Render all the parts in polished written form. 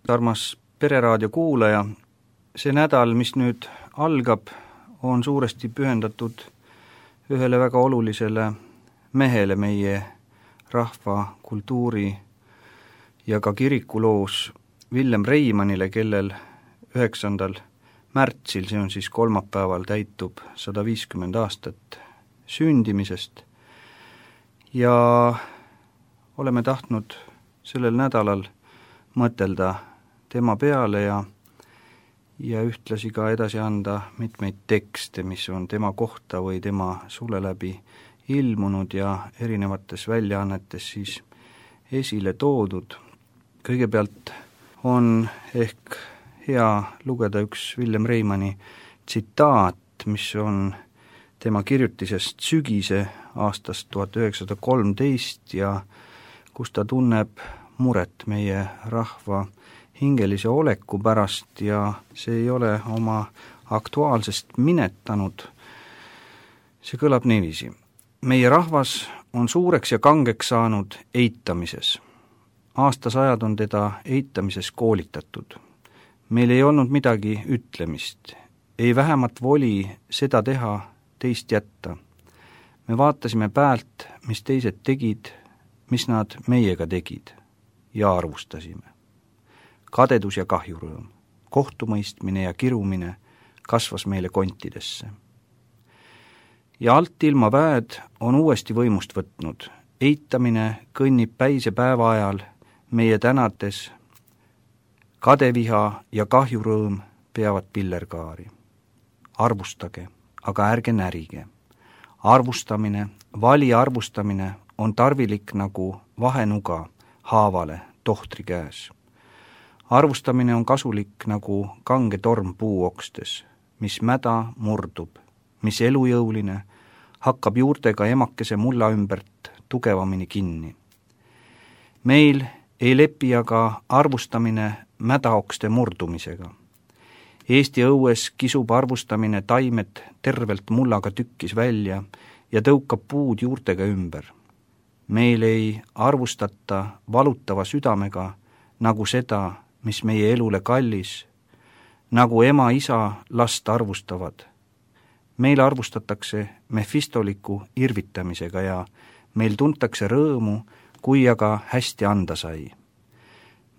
Armas Pereraadio kuulaja, see nädal, mis nüüd algab, on suuresti pühendatud ühele väga olulisele mehele meie rahva, kultuuri ja ka kirikuloos, Villem Reimannile, kellel 9. märtsil, see on siis kolmapäeval, täitub 150 aastat sündimisest. Ja oleme tahtnud sellel nädalal mõtelda tema peale ja ühtlasi ka edasi anda mitmeid tekste, mis on tema kohta või tema sule läbi ilmunud ja erinevates väljaannetes siis esile toodud. Kõigepealt on ehk hea lugeda üks Villem Reimanni tsitaat, mis on tema kirjutisest Sügise aastast 1913 ja kus ta tunneb muret meie rahva hingelise oleku pärast ja see ei ole oma aktuaalsest minetanud. See kõlab niiviisi. Meie rahvas on suureks ja kangeks saanud eitamises. Aastasajad on teda eitamises koolitatud. Meil ei olnud midagi ütlemist, ei vähemat voli seda teha, teist jätta. Me vaatasime päält, mis teised tegid, mis nad meiega tegid ja arvustasime. Kadedus ja kahjurõõm, kohtumõistmine ja kirumine kasvas meile kontidesse. Ja alt ilma väed on uuesti võimust võtnud. Eitamine kõnnib päise päeva ajal meie tänates. Kadeviha ja kahjurõõm peavad pillerkaari. Arvustage, aga ärge närige. Arvustamine, vali arvustamine on tarvilik nagu vahenuga haavale tohtri käes. Arvustamine on kasulik nagu kange torm puuokstes, mis mäda murdub, mis elujõuline, hakkab juurtega emakese mulla ümbert tugevamini kinni. Meil ei lepi aga arvustamine mädaokste murdumisega. Eesti õues kisub arvustamine taimed tervelt mullaga tükkis välja ja tõukab puud juurtega ümber. Meil ei arvustata valutava südamega nagu seda, mis meie elule kallis, nagu ema-isa last arvustavad. Meil arvustatakse mefistoliku irvitamisega ja meil tuntakse rõõmu, kui aga hästi anda sai.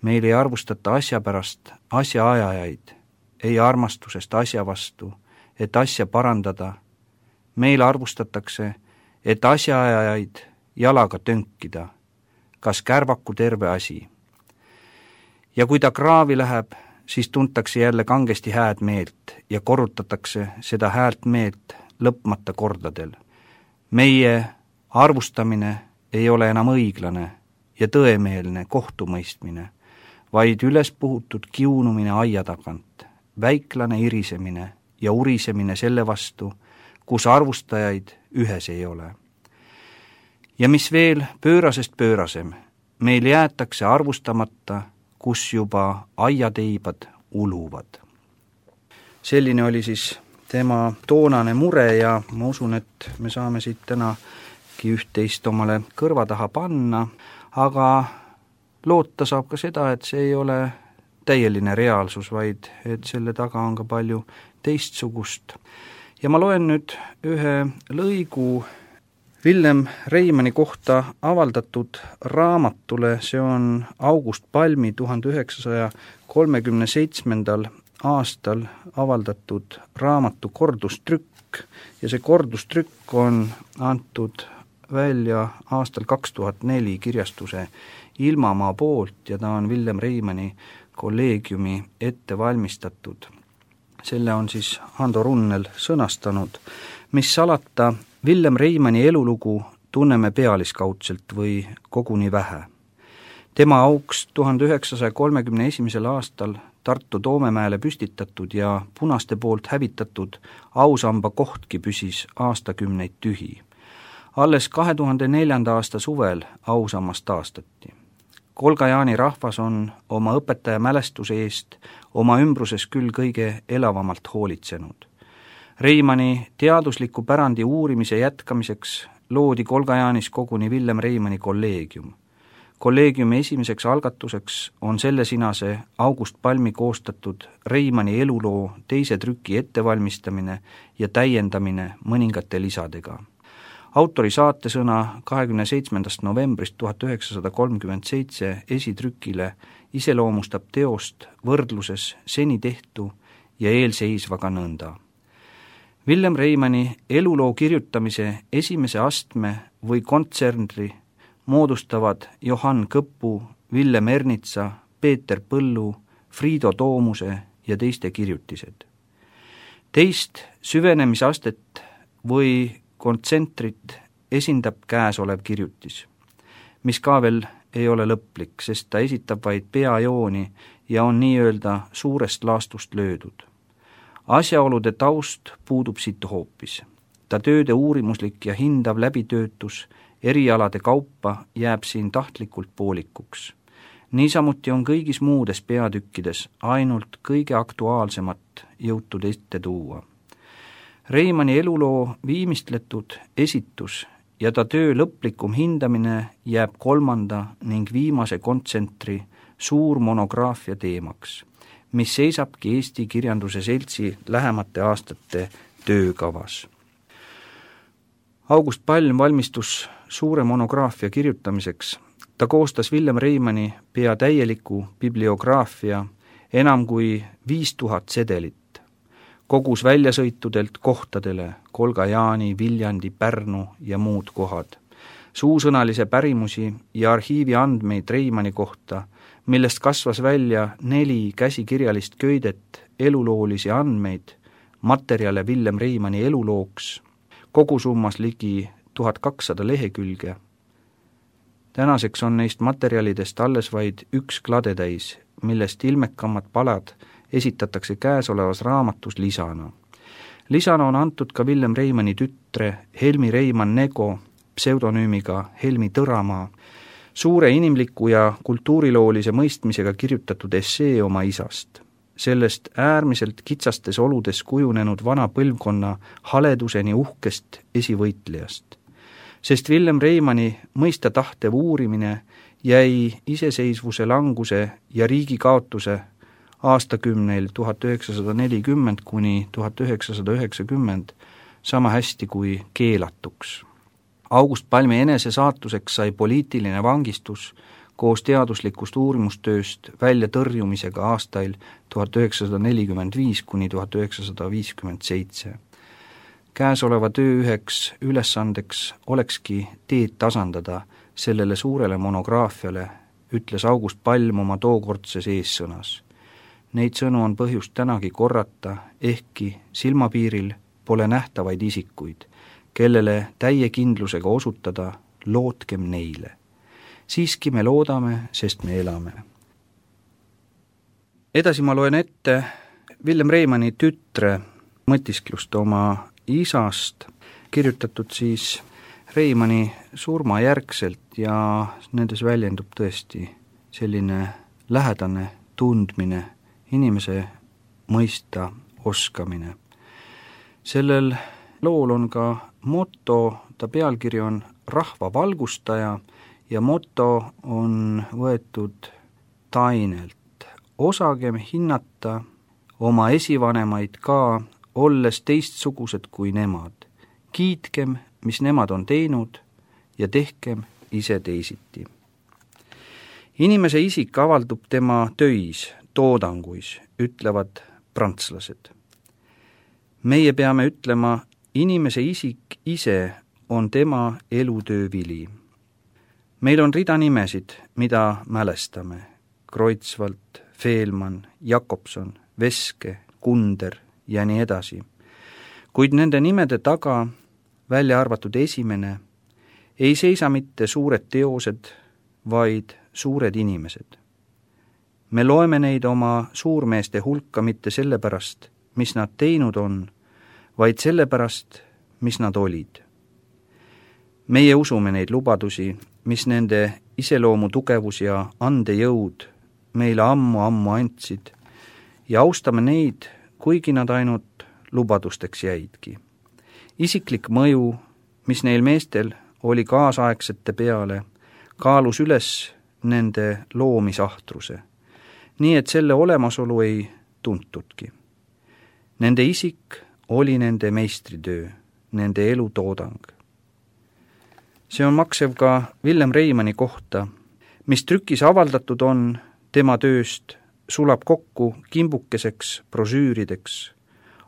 Meil ei arvustata asja pärast asjaajajaid, ei armastusest asja vastu, et asja parandada. Meil arvustatakse, et asjaajajaid jalaga tönkida, kas kärvaku terve asi. Ja kui ta kraavi läheb, siis tuntakse jälle kangesti hääd meelt ja korrutatakse seda häält meelt lõpmata kordadel. Meie arvustamine ei ole enam õiglane ja tõemeelne kohtumõistmine, vaid üles puhutud kiunumine aia tagant, väiklane irisemine ja urisemine selle vastu, kus arvustajaid ühes ei ole. Ja mis veel pöörasest pöörasem, meil jäetakse arvustamata, kus juba aiateibad uluvad. Selline oli siis tema toonane mure ja ma usun, et me saame siit tänagi üht-teist omale kõrva taha panna, aga loota saab ka seda, et see ei ole täieline reaalsus, vaid et selle taga on ka palju teistsugust. Ja ma loen nüüd ühe lõigu Villem Reimanni kohta avaldatud raamatule, see on August Palmi 1937. aastal avaldatud raamatu kordustrükk ja see kordustrükk on antud välja aastal 2004 kirjastuse Ilmamaa poolt ja ta on Villem Reimanni kolleegiumi ette valmistatud. Selle on siis Hando Runnel sõnastanud, mis salata Villem Reimanni elulugu tunneme pealiskaudselt või koguni vähe. Tema auks 1931. aastal Tartu Toomemäele püstitatud ja punaste poolt hävitatud ausamba kohtki püsis aastakümneid tühi. Alles 2004. aasta suvel ausammas taastati. Kolga-Jaani rahvas on oma õpetaja mälestuse eest oma ümbruses küll kõige elavamalt hoolitsenud. Reimanni teadusliku pärandi uurimise jätkamiseks loodi Kolga-Jaanis koguni Villem Reimanni kolleegium. Kolleegiumi esimeseks algatuseks on sellesinase August Palmi koostatud Reimanni eluloo teise trüki ettevalmistamine ja täiendamine mõningate lisadega. Autori saatesõna 27. novembrist 1937 esitrükile iseloomustab teost võrdluses seni tehtu ja eelseisvaga nõnda. Villem Reimanni eluloo kirjutamise esimese astme või kontsernri moodustavad Johann Kõppu, Villem Ernitsa, Peeter Põllu, Friido Toomuse ja teiste kirjutised. Teist süvenemisastet või kontsentrit esindab käesolev kirjutis, mis ka veel ei ole lõplik, sest ta esitab vaid peajooni ja on nii-öelda suurest laastust löödud. Asjaolude taust puudub siit hoopis. Ta tööde uurimuslik ja hindav läbitöötus erialade kaupa jääb siin tahtlikult poolikuks. Niisamuti on kõigis muudes peatükkides ainult kõige aktuaalsemat jõutud ette tuua. Reimanni eluloo viimistletud esitus ja ta töö lõplikum hindamine jääb kolmanda ning viimase kontsentri suur monograafia teemaks, mis seisabki Eesti Kirjanduse Seltsi lähemate aastate töökavas. August Palm valmistus suure monograafia kirjutamiseks. Ta koostas Villem Reimanni pea täieliku bibliograafia enam kui 5000 sedelit. Kogus väljasõitudelt kohtadele Kolga-Jaani, Viljandi, Pärnu ja muud kohad. Suusõnalise pärimusi ja arhiivi andmeid Reimanni kohta, millest kasvas välja 4 käsikirjalist köidet eluloolisi andmeid, materjale Villem Reimanni elulooks, kogusummas ligi 1200 lehekülge. Tänaseks on neist materjalidest alles vaid 1 kladetäis, millest ilmekamad palad esitatakse käesolevas raamatus lisana. Lisana on antud ka Villem Reimanni tütre Helmi Reimann Nego pseudonüümiga Helmi Tõramaa, suure inimliku ja kultuuriloolise mõistmisega kirjutatud essee oma isast, sellest äärmiselt kitsastes oludes kujunenud vana põlvkonna haleduseni uhkest esivõitlejast. Sest Villem Reimanni mõista tahtev uurimine jäi iseseisvuse languse ja riigi kaotuse aastakümneil 1940 kuni 1990 sama hästi kui keelatuks. August Palmi enese saatuseks sai poliitiline vangistus koos teaduslikust uurimustööst välja tõrjumisega aastail 1945 kuni 1957. Käesoleva töö üheks ülesandeks olekski teed tasandada sellele suurele monograafiale, ütles August Palm oma tookordses eessõnas. Neid sõnu on põhjust tänagi korrata, ehkki silmapiiril pole nähtavaid isikuid, kellele täie kindlusega osutada, lootkem neile. Siiski me loodame, sest me elame. Edasi ma loen ette Villem Reimanni tütre mõtisklust oma isast, kirjutatud siis Reimanni surmajärgselt ja nendes väljendub tõesti selline lähedane tundmine, inimese mõista oskamine. Sellel lool on ka moto, ta pealkiri on Rahva valgustaja ja moto on võetud Tainelt. Osagem hinnata oma esivanemaid ka, olles teistsugused kui nemad. Kiitkem, mis nemad on teinud ja tehkem ise teisiti. Inimese isik avaldub tema töis, toodanguis, ütlevad prantslased. Meie peame ütlema, inimese isik ise on tema elutöö vili. Meil on rida nimesid, mida mälestame. Kreutzwald, Fehlmann, Jakobson, Veske, Kunder ja nii edasi. Kuid nende nimede taga, välja arvatud esimene, ei seisa mitte suured teosed, vaid suured inimesed. Me loeme neid oma suurmeeste hulka mitte sellepärast, mis nad teinud on, vaid sellepärast, mis nad olid. Meie usume neid lubadusi, mis nende iseloomu tugevus ja andejõud meile ammu andsid ja austame neid, kuigi nad ainult lubadusteks jäidki. Isiklik mõju, mis neil meestel oli kaasaegsete peale, kaalus üles nende loomisahtruse, nii et selle olemasolu ei tuntudki. Nende isik oli nende meistritöö, nende elutoodang. See on maksev ka Villem Reimanni kohta, mis trükis avaldatud on tema tööst, sulab kokku kimbukeseks brosüürideks.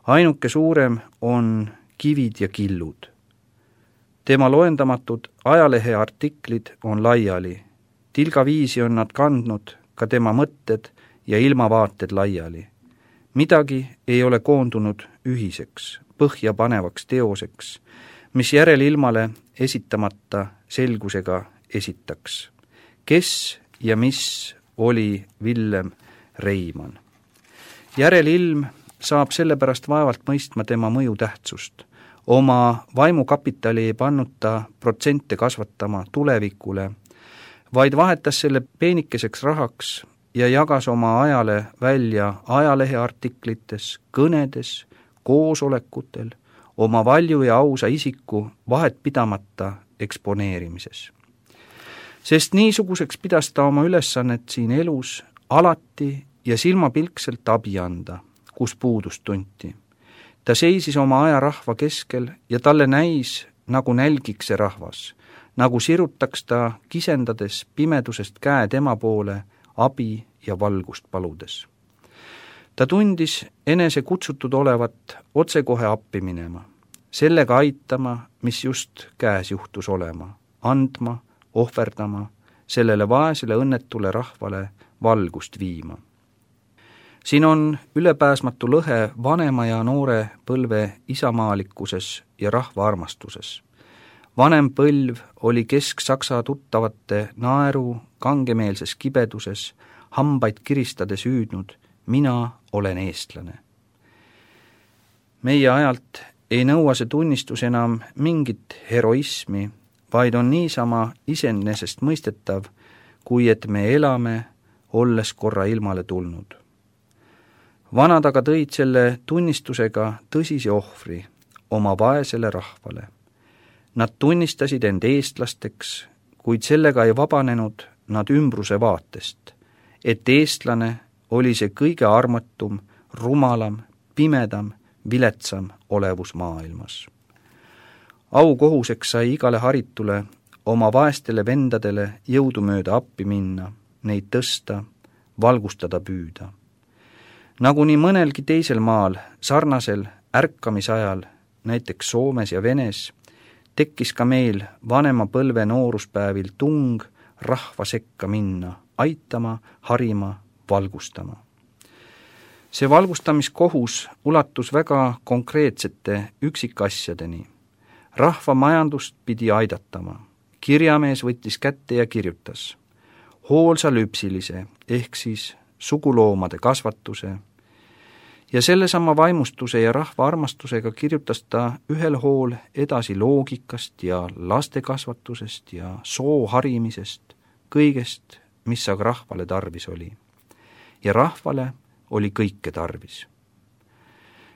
Ainuke suurem on Kivid ja killud. Tema loendamatud ajaleheartiklid on laiali. Tilgaviisi on nad kandnud ka tema mõtted ja ilmavaated laiali. Midagi ei ole koondunud ühiseks, põhjapanevaks teoseks, mis järelilmale esitamata selgusega esitaks. Kes ja mis oli Villem Reimann? Järelilm saab sellepärast vaevalt mõistma tema mõju tähtsust. Oma vaimukapitali ei pannud ta protsente kasvatama tulevikule, vaid vahetas selle peenikeseks rahaks ja jagas oma ajale välja ajaleheartiklites, kõnedes, koosolekutel, oma valju ja ausa isiku vahet pidamata eksponeerimises. Sest niisuguseks pidas ta oma ülesannet siin elus alati ja silmapilkselt abi anda, kus puudust tunti. Ta seisis oma aja rahva keskel ja talle näis, nagu nälgiks see rahvas, nagu sirutaks ta kisendades pimedusest käe tema poole abi ja valgust paludes. Ta tundis enese kutsutud olevat otsekohe appi minema, sellega aitama, mis just käes juhtus olema, andma, ohverdama, sellele vaesele õnnetule rahvale valgust viima. Siin on ülepääsmatu lõhe vanema ja noore põlve isamaalikkuses ja rahva armastuses. Vanem põlv oli Kesk-Saksa tuttavate naeru kangemeelses kibeduses, hambaid kiristades hüüdnud, mina olen eestlane. Meie ajalt ei nõua see tunnistus enam mingit heroismi, vaid on niisama iseenesest mõistetav, kui et me elame, olles korra ilmale tulnud. Vanad aga tõid selle tunnistusega tõsise ohvri oma vaesele rahvale. Nad tunnistasid end eestlasteks, kuid sellega ei vabanenud nad ümbruse vaatest, et eestlane oli see kõige armatum, rumalam, pimedam, viletsam olevus maailmas. Aukohuseks sai igale haritule oma vaestele vendadele jõudumööda appi minna, neid tõsta, valgustada püüda. Nagu nii mõnelgi teisel maal, sarnasel ärkamisajal, näiteks Soomes ja Venes, tekkis ka meil vanema põlve nooruspäevil tung rahva sekka minna, aitama, harima, valgustama. See valgustamiskohus ulatus väga konkreetsete üksikasjadeni. Rahva majandust pidi aidatama. Kirjamees võttis kätte ja kirjutas. Hoolsa lüpsilise ehk siis suguloomade kasvatuse ja sellesama vaimustuse ja rahva armastusega kirjutas ta ühel hool edasi loogikast ja lastekasvatusest ja soo harimisest, kõigest, mis aga rahvale tarvis oli. Ja rahvale oli kõike tarvis.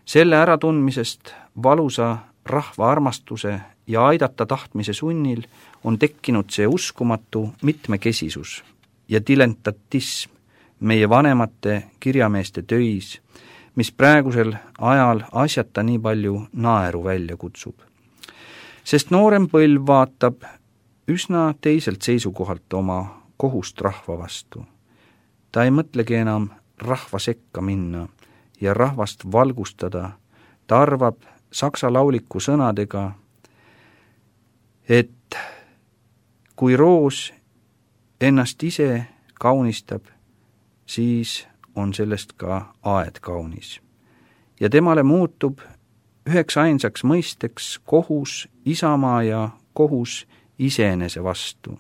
Selle äratundmisest valusa rahva armastuse ja aidata tahtmise sunnil on tekkinud see uskumatu mitmekesisus ja dilentatism meie vanemate kirjameeste töis, mis praegusel ajal asjata nii palju naeru välja kutsub. Sest noorem põlv vaatab üsna teiselt seisukohalt oma kohust rahva vastu. Ta ei mõtlegi enam rahva sekka minna ja rahvast valgustada, ta arvab saksa lauliku sõnadega, et kui roos ennast ise kaunistab, siis on sellest ka aed kaunis. Ja temale muutub üheks ainsaks mõisteks kohus isamaa ja kohus iseenese vastu.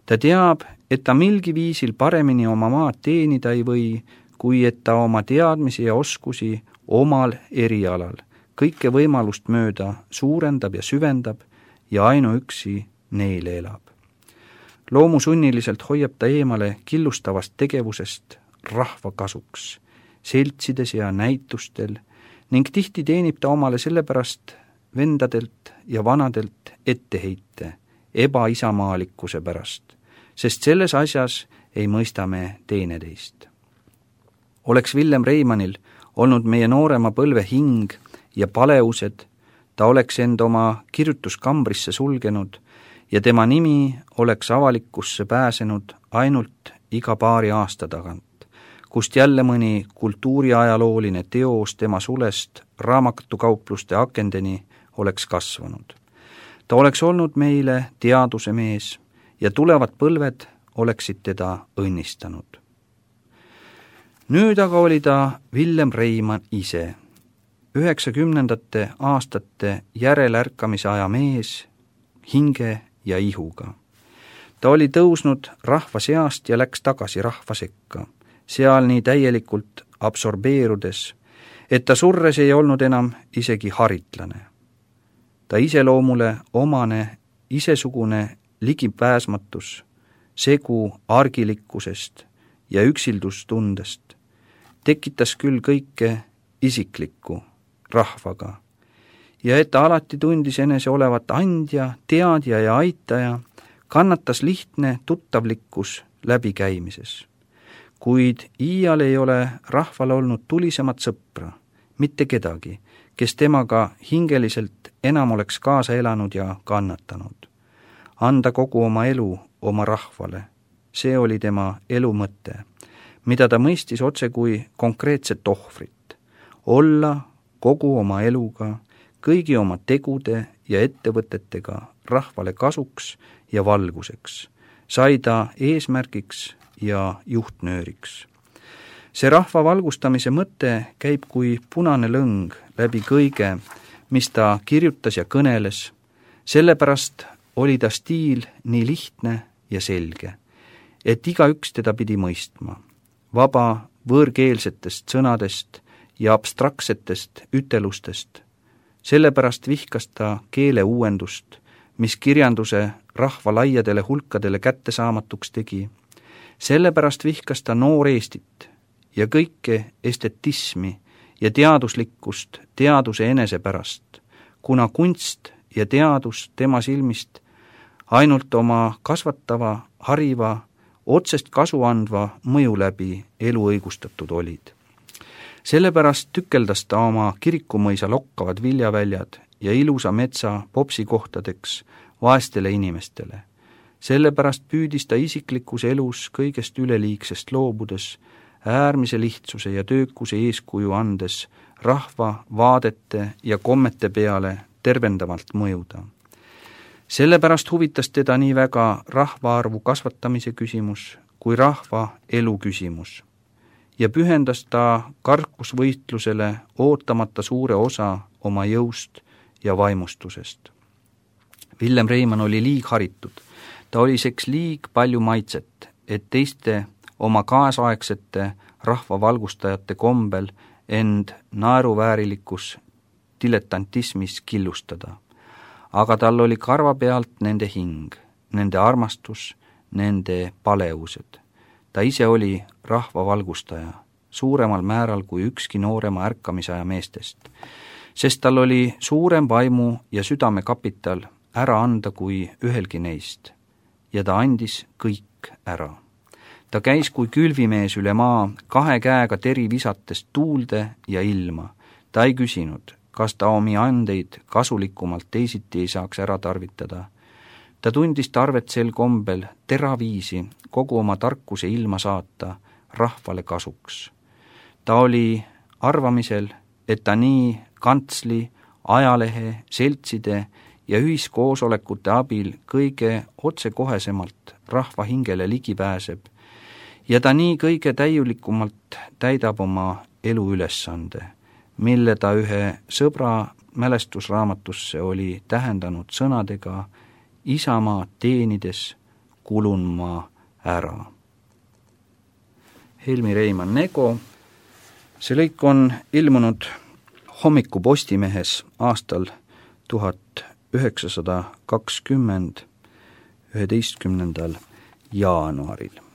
Ta teab, et ta milgi viisil paremini oma maad teenida ei või, kui et ta oma teadmisi ja oskusi omal erialal kõike võimalust mööda suurendab ja süvendab ja ainuüksi neile elab. Loomusunniliselt hoiab ta eemale killustavast tegevusest rahva kasuks, seltsides ja näitustel ning tihti teenib ta omale sellepärast vendadelt ja vanadelt etteheite ebaisamalikkuse pärast, sest selles asjas ei mõista me teineteist. Oleks Villem Reimannil olnud meie noorema põlve hing ja paleused, ta oleks end oma kirjutuskambrisse sulgenud ja tema nimi oleks avalikkusse pääsenud ainult iga paari aasta tagant, kust jälle mõni kultuuriajalooline teos tema sulest raamatukaupluste akendeni oleks kasvanud. Ta oleks olnud meile teaduse mees ja tulevad põlved oleksid teda õnnistanud. Nüüd aga oli ta Villem Reimann ise, 90. aastate järelärkamise aja mees, hinge ja ihuga. Ta oli tõusnud rahva seast ja läks tagasi rahva sekka, seal nii täielikult absorbeerudes, et ta surres ei olnud enam isegi haritlane. Ta iseloomule omane isesugune ligipääsmatus, segu argilikkusest ja üksildustundest tekitas küll kõike isiklikku rahvaga ja et ta alati tundis enese olevat andja, teadja ja aitaja, kannatas lihtne tuttavlikkus läbikäimises. Kuid iial ei ole rahval olnud tulisemat sõpra, mitte kedagi, kes temaga hingeliselt enam oleks kaasa elanud ja kannatanud. Anda kogu oma elu oma rahvale, see oli tema elu mõte, mida ta mõistis otse kui konkreetset ohvrit. Olla kogu oma eluga, kõigi oma tegude ja ettevõtetega rahvale kasuks ja valguseks, sai ta eesmärgiks ja juhtnööriks. See rahva valgustamise mõte käib kui punane lõng läbi kõige, mis ta kirjutas ja kõneles, sellepärast oli ta stiil nii lihtne ja selge, et igaüks teda pidi mõistma. Vaba võõrkeelsetest sõnadest ja abstraktsetest ütelustest. Sellepärast vihkas ta keele uuendust, mis kirjanduse rahva laiadele hulkadele kättesaamatuks tegi. Sellepärast vihkas ta noor Eestit ja kõike estetismi ja teaduslikkust teaduse enese pärast, kuna kunst ja teadus tema silmist ainult oma kasvatava, hariva, otsest kasu andva mõju läbi elu õigustatud olid. Sellepärast tükeldas ta oma kirikumõisa lokkavad viljaväljad ja ilusa metsa popsikohtadeks vaestele inimestele. Sellepärast püüdis ta isiklikus elus kõigest üleliigsest loobudes, äärmise lihtsuse ja töökuse eeskuju andes rahva vaadete ja kommete peale tervendavalt mõjuda. Sellepärast huvitas teda nii väga rahvaarvu kasvatamise küsimus kui rahva elu küsimus ja pühendas ta karkusvõitlusele ootamata suure osa oma jõust ja vaimustusest. Villem Reimann oli liigharitud, ta oli seks liig palju maitset, et teiste oma kaasaegsete rahvavalgustajate kombel end naeruväärilikus diletantismis killustada. Aga tal oli karva pealt nende hing, nende armastus, nende paleused. Ta ise oli rahvavalgustaja, suuremal määral kui ükski noorema ärkamisaja meestest, sest tal oli suurem vaimu ja südamekapital ära anda kui ühelgi neist, ja ta andis kõik ära. Ta käis kui külvimees üle maa, kahe käega teri visates tuulde ja ilma. Ta ei küsinud, kas ta omi andeid kasulikumalt teisiti ei saaks ära tarvitada. Ta tundis tarvet sel kombel teraviisi kogu oma tarkuse ilma saata rahvale kasuks. Ta oli arvamisel, et ta nii kantsli, ajalehe, seltside ja ühiskoosolekute abil kõige otsekohesemalt rahva hingele ligi pääseb ja ta nii kõige täiulikumalt täidab oma eluülesande, mille ta ühe sõbra mälestusraamatusse oli tähendanud sõnadega Isamaa teenides kulun ma ära. Helmi Reimann Nego. See lõik on ilmunud Hommiku Postimehes aastal 1920 11. jaanuaril.